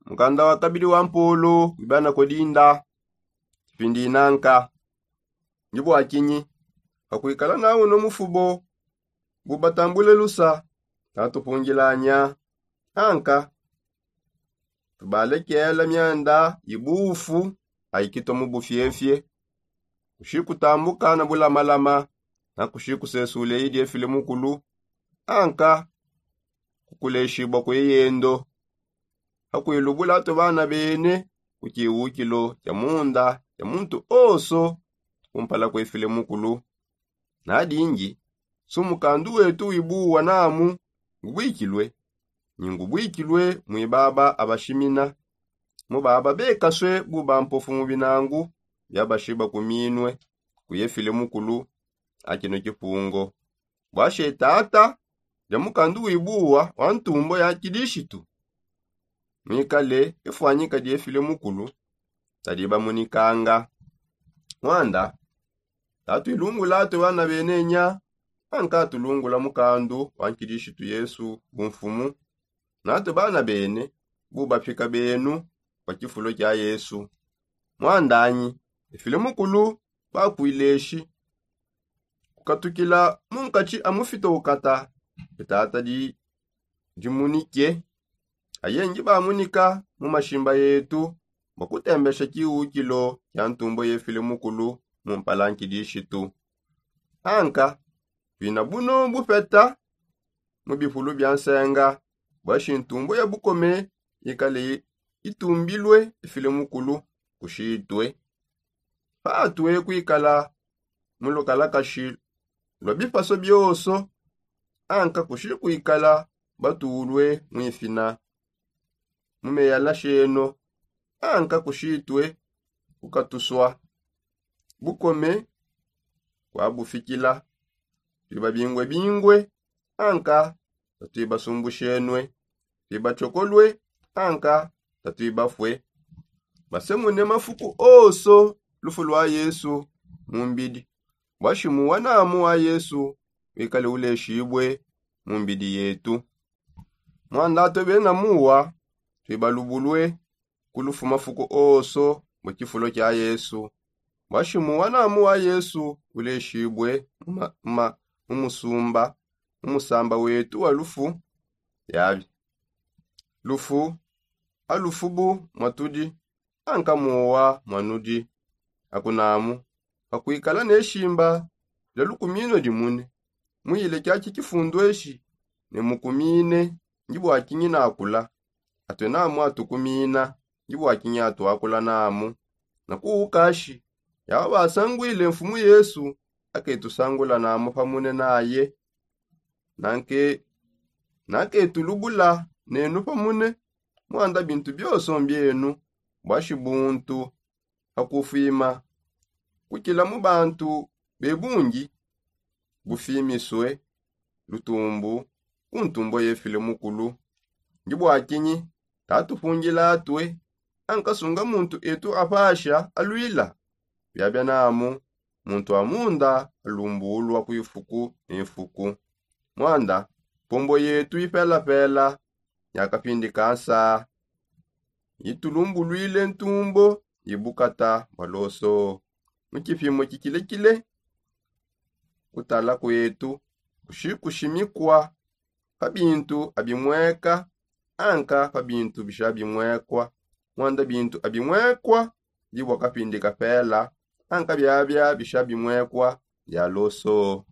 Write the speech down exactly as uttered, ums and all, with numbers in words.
Mukanda wa kabidi wa mpolo wibana kodinda. Kipindi inanka ndi bua kinyi? Pakuikala na uno mufubo bubatambule lusa, tatupungilanya anka tubalekela mianda ibufu aikito mu bufiefie, kushi kutambuka na bulamalama na kushi kusesule idi efile mukulu anka kukuleshibua kue yendo. Pakuilubula tue bana bene ku kiwukilo kia munda kia muntu onso kumpala kuefile mukulu. Nadingi su mukandu wetu wibuwa namu ngubuikilue, ni ngubuikilue muibaba abashimina, mubaba bekasue buba mpofu mu binangu biabashiba kuminue kuyefile mukulu. Akino kipungo bwashe tata dia mukandu wibuwa wa ntumbo ya kidishitu mwikale ifuanyika diefile mukulu tadi bamunikanga. Mwanda tatuilungula tue bana benenya anka tulungula mukandu wa nkidishitu yesu bumfumu natue bana bene bubapika benu pa kifulo kia yesu. Mwandanyi efile mukulu bakuileshi kukatukila mu nkatshi a mufita ukata etata di dimunike aye ndibamunika mu mashimba yetu bua kutembesha kiwukilo kia ntumbo yefile mukulu mu mpala nkidishitu. Anka tuina buno bupeta mu bipulu bia nsenga bua shi ntumbo ya bukome ikale itumbilue ifile mukulu kushitue patue kuikala mu lukalakashi lua bipaso bionso anka kushi kuikala batulue muifina mu meyala sheno anka kushitue kukatusua bukome kuabufikila. Tuibabingwebingwe anka tatuibasumbushenue, tuibatsokolue anka tatuibafue. Basemune mafuku onso lufu lua yesu mu mbidi bua shimuwa namu wa yesu wikale uleshibue mu mbidi yetu. Muanda tue bena muwa tuibalubulue ku lufu mafuku onso mu kifulo kia yesu bua shimuwa namu wa yesu uleshibue mu musumba mu musamba wetu wa lufu. Yabi lufu alufubu mwatudi anka muowa mwanudi akunamu pakuikala ne shimba dia lukumino dimune muile kiaki kifundu eshi ne mukumine ndi bua kinyi nakula atue namu atukumina ndi bua kinyi atuakula namu. Na kuukashi yaba basanguile mfumu yesu aketusangula namu pamune naye nanke naketulubula nenu pamune muanda bintu bionso mbienu bua shibuntu pa kufwima kukila mu bantu be bungi bufwimisue lutumbu ku ntumbo yefile mukulu. Ndi bua kinyi tatupungila atue ankasunga muntu etu apasha aluila biabia namu muntu wa munda alumbulua ku ifuku ne ifuku. Muanda mpombo yetu ipelapela ya kapindi ka nsaa itulumbuluile ntumbo ibukata baloso mu kipimo kikilekile. Kutala kuetu kushikushimikua pa bintu abimueka anka pa bintu bishabimuekua. Muanda bintu abimuekua ndi bua kapindi kapela anka biabia bishabimuekua bia loso.